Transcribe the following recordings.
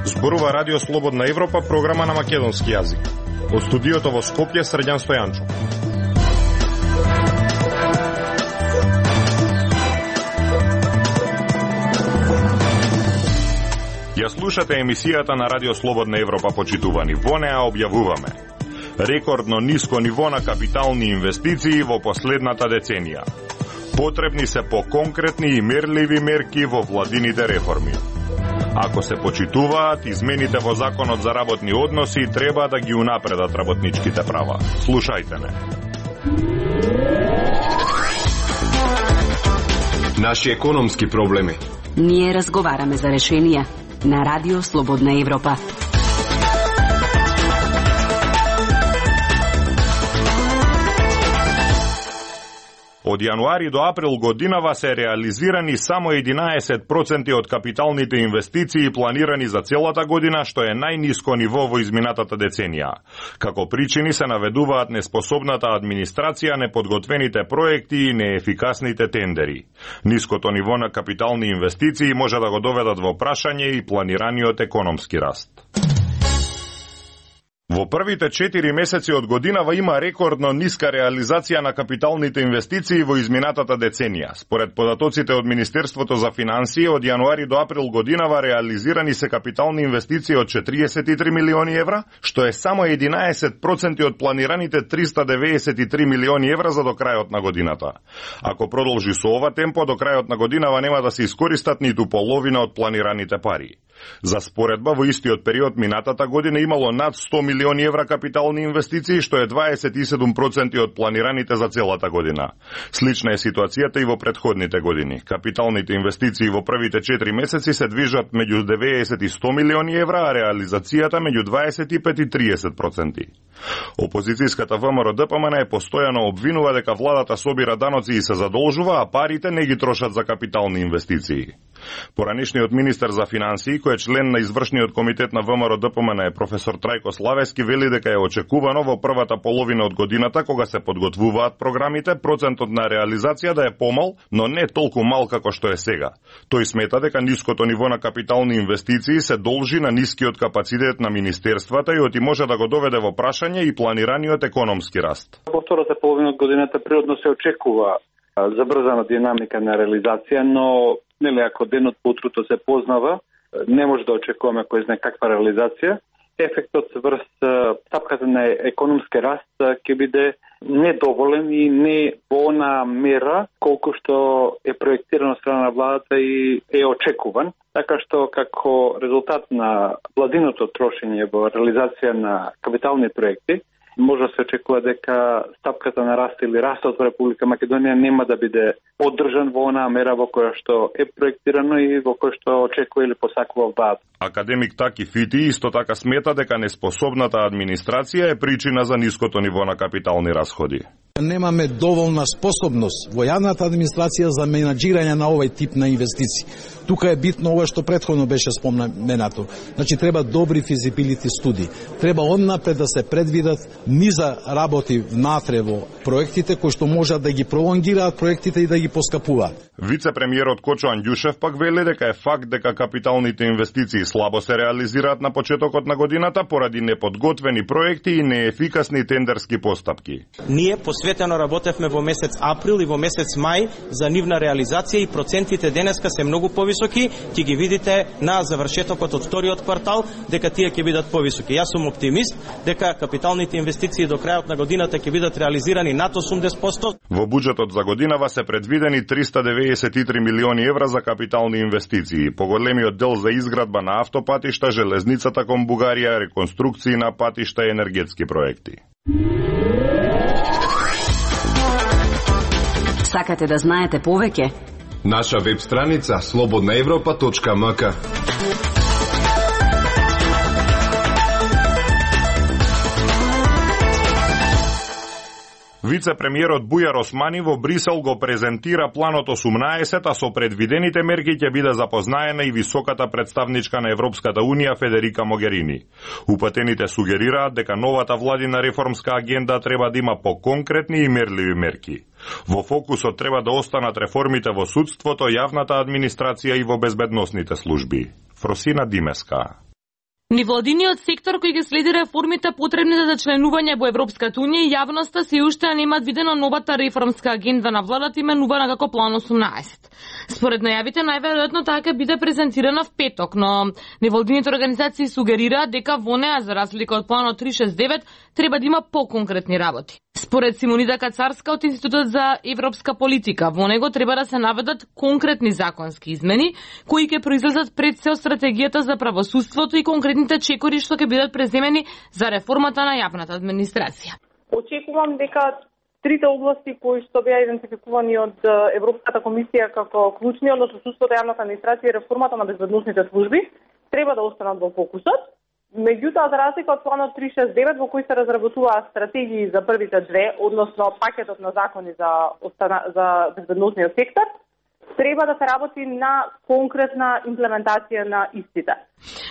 Зборува Радио Слободна Европа, програма на македонски јазик. Од студиото во Скопје, Срđan Стојанчо. Ја слушате емисијата на Радио Слободна Европа, почитувани. Во неа објавуваме рекордно ниско ниво на капитални инвестиции во последната деценија. Потребни се по-конкретни и мерливи мерки во владините реформи. Ако се почитуваат измените во Законот за работни односи, треба да ги унапредат работничките права. Слушајте не. Наши економски проблеми. Ние разговараме за решенија на Радио Слободна Европа. Од јануари до април годинава се реализирани само 11% од капиталните инвестиции планирани за целата година, што е најниско ниво во изминатата деценија. Како причини се наведуваат неспособната администрација, неподготвените проекти и неефикасните тендери. Ниското ниво на капитални инвестиции може да го доведат во прашање и планираниот економски раст. Во првите 4 месеци од годинава има рекордно ниска реализација на капиталните инвестиции во изминатата деценија. Според податоците од Министерството за финансии, од јануари до април годинава реализирани се капитални инвестиции од 43 милиони евра, што е само 11% од планираните 393 милиони евра за до крајот на годината. Ако продолжи со ова темпо, до крајот на годинава нема да се искористат ниту половина од планираните пари. За споредба, во истиот период минатата година имало над 100 милиони евра капитални инвестиции, што е 27% од планираните за целата година. Слична е ситуацијата и во претходните години. Капиталните инвестиции во првите 4 месеци се движат меѓу 90 и 100 милиони евра, а реализацијата меѓу 25 и 30%. Опозицијската ВМРО-ДПМН е постојано обвинува дека владата собира даноци и се задолжува, а парите не ги трошат за капитални инвестиции. Поранешниот министер за финансии, кој е член на извршниот комитет на ВМРО-ДПМН, професор Трајко Славески, вели дека е очекувано во првата половина од годината, кога се подготвуваат програмите, процентот на реализација да е помал, но не толку мал како што е сега. Тој смета дека ниското ниво на капитални инвестиции се должи на нискиот капацитет на министерствата и оти може да го доведе во прашање и планираниот економски раст. Во втората половина од годината природно се очекува забрзана динамика на реализација, но ако денот по утрото се познава, не може да очекуваме кој знае каква реализација. Ефектот врз стапката на економски раст ќе биде недоволен и не во она мера колку што е проектирано од страна на владата и е очекуван. Така што како резултат на владиното трошење во реализација на капитални проекти, може да се очекува дека стапката на раст или растот во Република Македонија нема да биде поддржан во онаа мера во која што е проектирано и во која што очекува или посакува владата. Академик Таки Фити исто така смета дека неспособната администрација е причина за ниското ниво на капитални расходи. Немаме доволна способност во јавната администрација за менаџирање на овој тип на инвестиции. Тука е битно ова што претходно беше споменато. Значи треба добри физибилити студии. Треба однапред да се предвидат низа работи внатре во проектите кои што можат да ги пролонгираат проектите и да ги поскапуваат. Вице-премиерот Кочо Анѓушев пак вели дека е факт дека капиталните инвестиции слабо се реализираат на почетокот на годината поради неподготвени проекти и неефикасни тендерски постапки. Ние посветено работевме во месец април и во месец мај за нивна реализација и процентите денеска се многу повисоки. Ќе ги видите на завршетокот од вториот квартал дека тие ќе бидат повисоки. Јас сум оптимист дека капиталните инвестиции до крајот на годината ќе бидат реализирани над 80%. Во буџетот за годинава се предвидени 393 милиони евра за капитални инвестиции. Поголемиот дел за изградба на автопатишта, железницата кон Бугарија, реконструкции на патишта и енергетски проекти. Сакате да знаете повеќе? Наша веб страница slobodnaevropa.mk. Вице-премиерот Бујар Османи во Брисел го презентира планот 18, а со предвидените мерки ќе биде запознаена и високата представничка на Европската Унија Федерика Могерини. Упатените сугерираат дека новата владина реформска агенда треба да има поконкретни и мерливи мерки. Во фокусот треба да останат реформите во судството, јавната администрација и во безбедносните служби. Фросина Димеска. Невладиниот сектор кој ги следи реформите потребни за членување во Европската Унија и јавноста се уште немаат видено новата реформска агенда на владата именувана како План 18. Според најавите најверојатно таа ќе биде презентирана в петок, но невладините организации сугерираат дека во неа за разлика од Планот 369 треба да има поконкретни работи. Според Симонида Кацарска од Институтот за европска политика, во него треба да се наведат конкретни законски измени кои ќе произлезат пред се од стратегијата за правосудството и конкретните чекори што ќе бидат преземени за реформата на јавната администрација. Очекувам дека трите области кои што беа идентификувани од Европската комисија како клучни, односно судството, јавната администрација и реформата на безбедносните служби, треба да останат во фокусот. Меѓутоа, за разлика од планот 369 во кој се разработуваат стратегии за првите две, односно пакетот на закони за безбедносниот сектор, треба да се работи на конкретна имплементација на истите.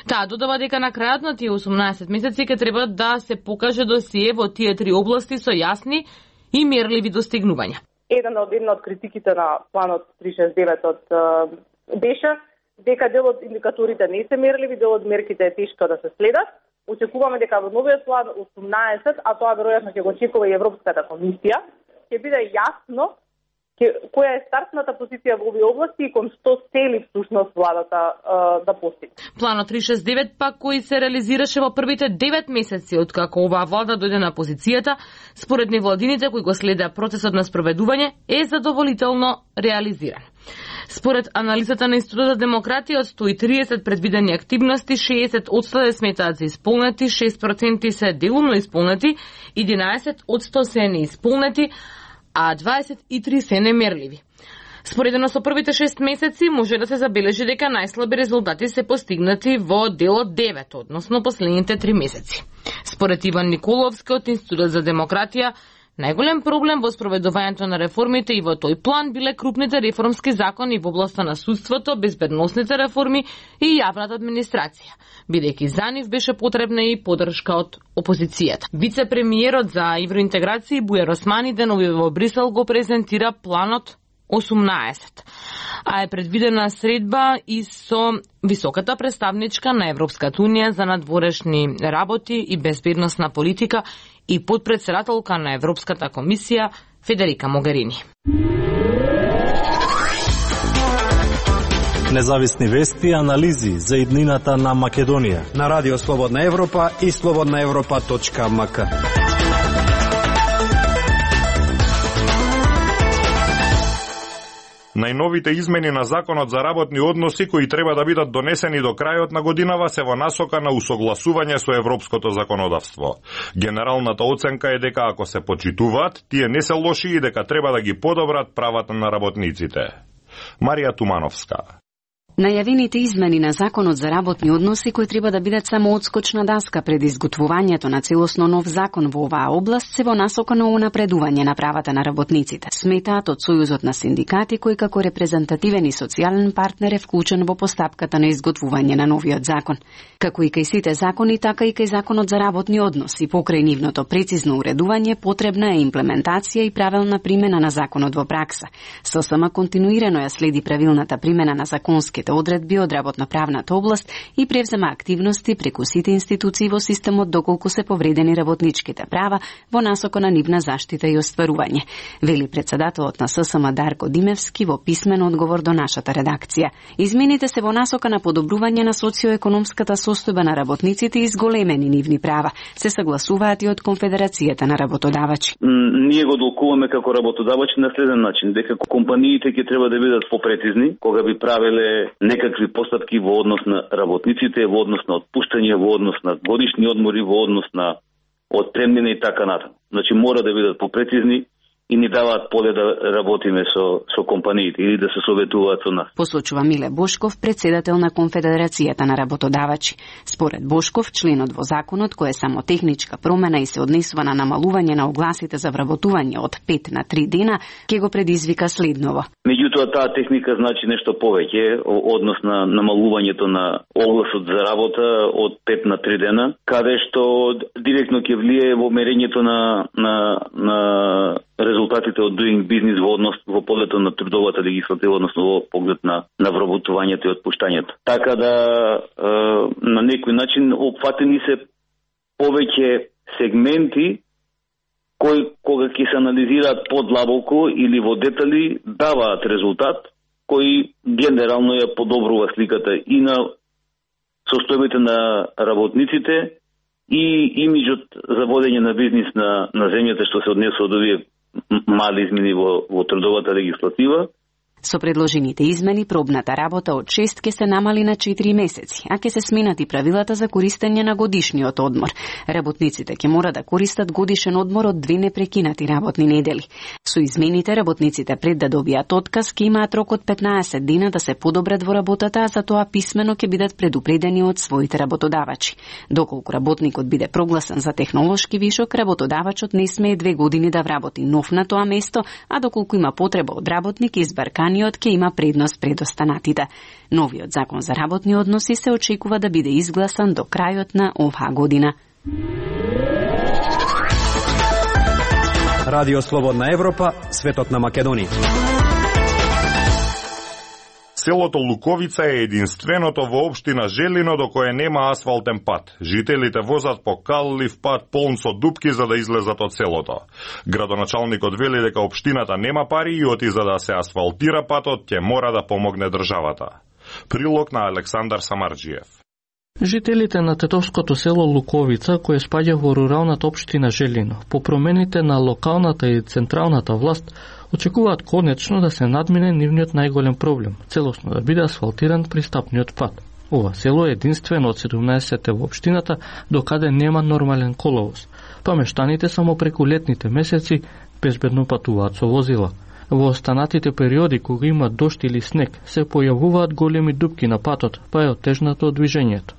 Таа додава дека на крајот на тие 18 месеци ќе треба да се покаже досие во тие три области со јасни и мерливи достигнувања. Една од критиките на планот 369 беше дека дел од индикаторите не се мерливи, дел од мерките е тешко да се следат. Очекуваме дека во новиот план 18, а тоа веројатно ќе го очекува и Европската комисија, ќе биде јасно која е стартната позиција во овие области и кон што цели всушност владата да постигне. Планот 369 пак кој се реализираше во првите 9 месеци откако оваа влада дојде на позицијата, според невладините кои го следеа процесот на спроведување, е задоволително реализиран. Според анализата на Институтот за демократија, од 130 предвидени активности, 60% сметаат за исполнети, 6% се делумно исполнети, 11% се неисполнети, а 23 се немерливи. Споредено со првите 6 месеци може да се забележи дека најслаби резултати се постигнати во делот 9, односно последните 3 месеци. Според Иван Николовски од Институтот за демократија, најголем проблем во спроведувањето на реформите и во тој план биле крупните реформски закони во областа на судството, безбедносните реформи и јавната администрација, бидејќи за нив беше потребна и поддршка од опозицијата. Вице-премиерот за евроинтеграција Бујар Османи денови во Брисел го презентира планот 18, а е предвидена средба и со високата представничка на Европската Унија за надворешни работи и безбедносна политика и подпредседателка на Европската комисија Федерика Могерини. Независни вести и анализи за иднината на Македонија на Радио Слободна Европа и slobodnaevropa.mk. Најновите измени на Законот за работни односи кои треба да бидат донесени до крајот на годинава се во насока на усогласување со европското законодавство. Генералната оценка е дека ако се почитуваат, тие не се лоши и дека треба да ги подобрат правата на работниците. Марија Тумановска. Најавените измени на Законот за работни односи кои треба да бидат само одскочна даска пред изготвувањето на целосно нов закон во оваа област се во насока на унапредување на правата на работниците. Сметаат од Сојузот на синдикати кој како репрезентативен и социјален партнер е вклучен во постапката на изготвување на новиот закон. Како и кај сите закони, така и кај Законот за работни односи, покрај нивното прецизно уредување, потребна е имплементација и правилна примена на законот во пракса. ССМ континуирано ја следи правилната примена на законски одредби од работно-правната област и превзема активности преку сите институции во системот доколку се повредени работничките права во насока на нивна заштита и остварување, вели председателот на ССМ Дарко Димевски во писмен одговор до нашата редакција. Измените се во насока на подобрување на социоекономската состојба на работниците и зголемени нивни права. Се согласуваат и од Конфедерацијата на работодавачи. Ние го долкуваме како работодавачи на следен начин, дека компаниите ќе треба да бидат попрецизни кога би правеле некакви постапки во однос на работниците, во однос на отпуштање, во однос на годишни одмори, во однос на отпремнина и така натаму. Значи мора да бидат попрецизни и ни даваат поле да работиме со компаниите или да се советуваат со нас. Посочува Миле Бошков, председател на Конфедерацијата на работодавачи. Според Бошков, членот во законот кој е само техничка промена и се однесува на намалување на огласите за вработување од 5 на 3 дена, ќе го предизвика следново. Меѓутоа, таа техника значи нешто повеќе, однос на намалувањето на огласот за работа од 5 на 3 дена, каде што директно ќе влие во мерењето на резултатите од doing business во полето на трудовата легислатива, односно во поглед на вработувањето и отпуштањето. Така да на некој начин опфатени се повеќе сегменти кои кога ќе се анализираат подлабоко или во детали даваат резултат кои генерално ја подобрува сликата и на состојбите на работниците и имиджот за водење на бизнис на земјата што се однесува од овие мали измени во трудовата легислатива. Со предложените измени, пробната работа од 6 ќе се намали на 4 месеци, а ќе се сменат и правилата за користење на годишниот одмор. Работниците ќе мора да користат годишен одмор од 2 непрекинати работни недели. Со измените, работниците пред да добијат отказ ќе имаат рок од 15 дена да се подобрат во работата, а за тоа писмено ќе бидат предупредени од своите работодавачи. Доколку работникот биде прогласен за технолошки вишок, работодавачот не смее 2 години да вработи нов на тоа место, а доколку има потреба од работник, избарканиот ќе има предност пред останатите. Новиот закон за работни односи се очекува да биде изгласан до крајот на оваа година. Радио Слободна Европа, светот на Македонија. Селото Луковица е единственото во општина Желино до кое нема асфалтен пат. Жителите возат по каллив пат полн со дупки за да излезат од селото. Градоначалникот вели дека општината нема пари и оти за да се асфалтира патот ќе мора да помогне државата. Прилог на Александар Самарджиев. Жителите на тетовското село Луковица, кое спаѓа во руралната општина Желино, по промените на локалната и централната власт, очекуваат конечно да се надмине нивниот најголем проблем, целосно да биде асфалтиран пристапниот пат. Ова село е единствено од 17 во општината до каде нема нормален коловоз, па мештаните само преку летните месеци безбедно патуваат со возила. Во останатите периоди кога има дожд или снег се појавуваат големи дупки на патот, па е отежнато движењето.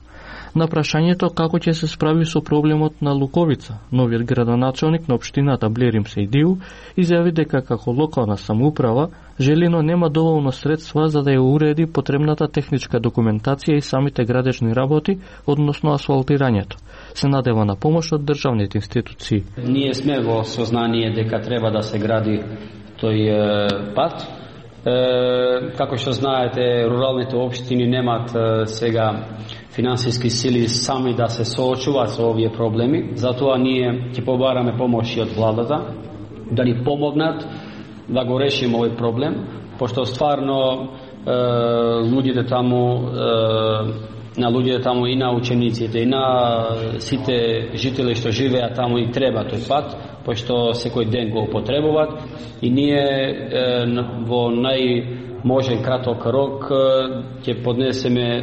На прашањето како ќе се справи со проблемот на Луковица, новиот градоначалник на општината Блерим Сейдиу изјави дека како локална самоуправа Желино нема доволно средства за да ја уреди потребната техничка документација и самите градежни работи, односно асфалтирањето. Се надева на помош од државните институции. Ние сме во сознание дека треба да се гради тој пат. Како што знаете, руралните општини немаат сега финансиски сили сами да се соочуваат со овие проблеми. Затоа ние ќе побараме помош и од владата да ни помогнат да го решиме овој проблем, пошто стварно луѓето таму и на учениците и на сите жители што живеат таму и треба тој пат, пошто секој ден го употребуваат и ние во најможен краток рок ќе поднесеме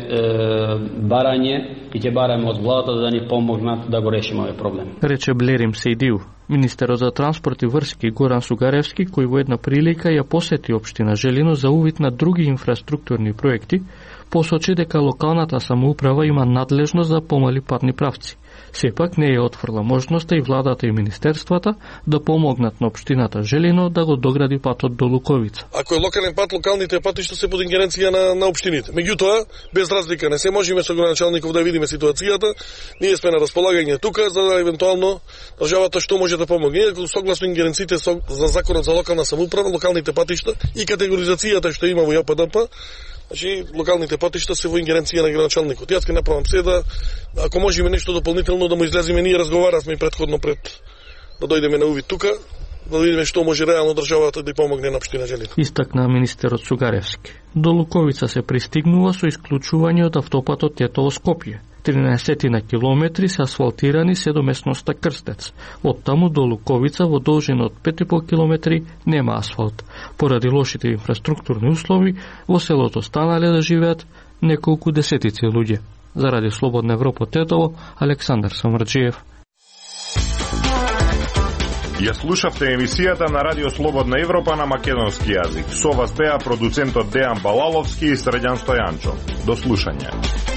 барање и ќе бараме од владата да ни помогнат да го решиме овој проблем. Рече Блерим Сейдиу. Министерот за транспорт и врски Горан Сугаревски, кој во една прилика ја посети општина Желино за увид на други инфраструктурни проекти, посочи дека локалната самоуправа има надлежност за помали патни правци. Сепак не ја отфрла можноста и владата и министерствата да помогнат на општината Желино да го догради патот до Луковица. Ако е локален пат, локалните патишта се под ингеренција на општините. Меѓутоа, без разлика не се можеме со градоначалников да видиме ситуацијата. Ние сме на располагање тука за да евентуално државата што може да помогне. Согласно ингеренциите за законот за локална самоуправа, локалните патишта и категоризацијата што има во ЈПДП, значи локалните патишта се во ингеренција на градоначалникот. Јас ќе направам се да ако можеме нешто дополнително да му излеземе, ние разговаравме претходно пред да дојдеме на увид тука, да видиме што може реално државата да помогне на општина Желино. Истакна министерот Сугаревски. До Луковица се пристигнува со исклучување од автопатот Тетово-Скопје. 13 на километри се асфалтирани се до местноста Крстец. Од таму до Луковица во должина од 5,5 километри нема асфалт. Поради лошите инфраструктурни услови во селото станале да живеат неколку десетици луѓе. Заради Слободна Европа Тетово, Александар Самарджиев. Ја слушавте емисијата на Радио Слободна Европа на македонски јазик. Со вас беа продуцентот Дејан Балаловски и Средјан Стојанчо. До слушање.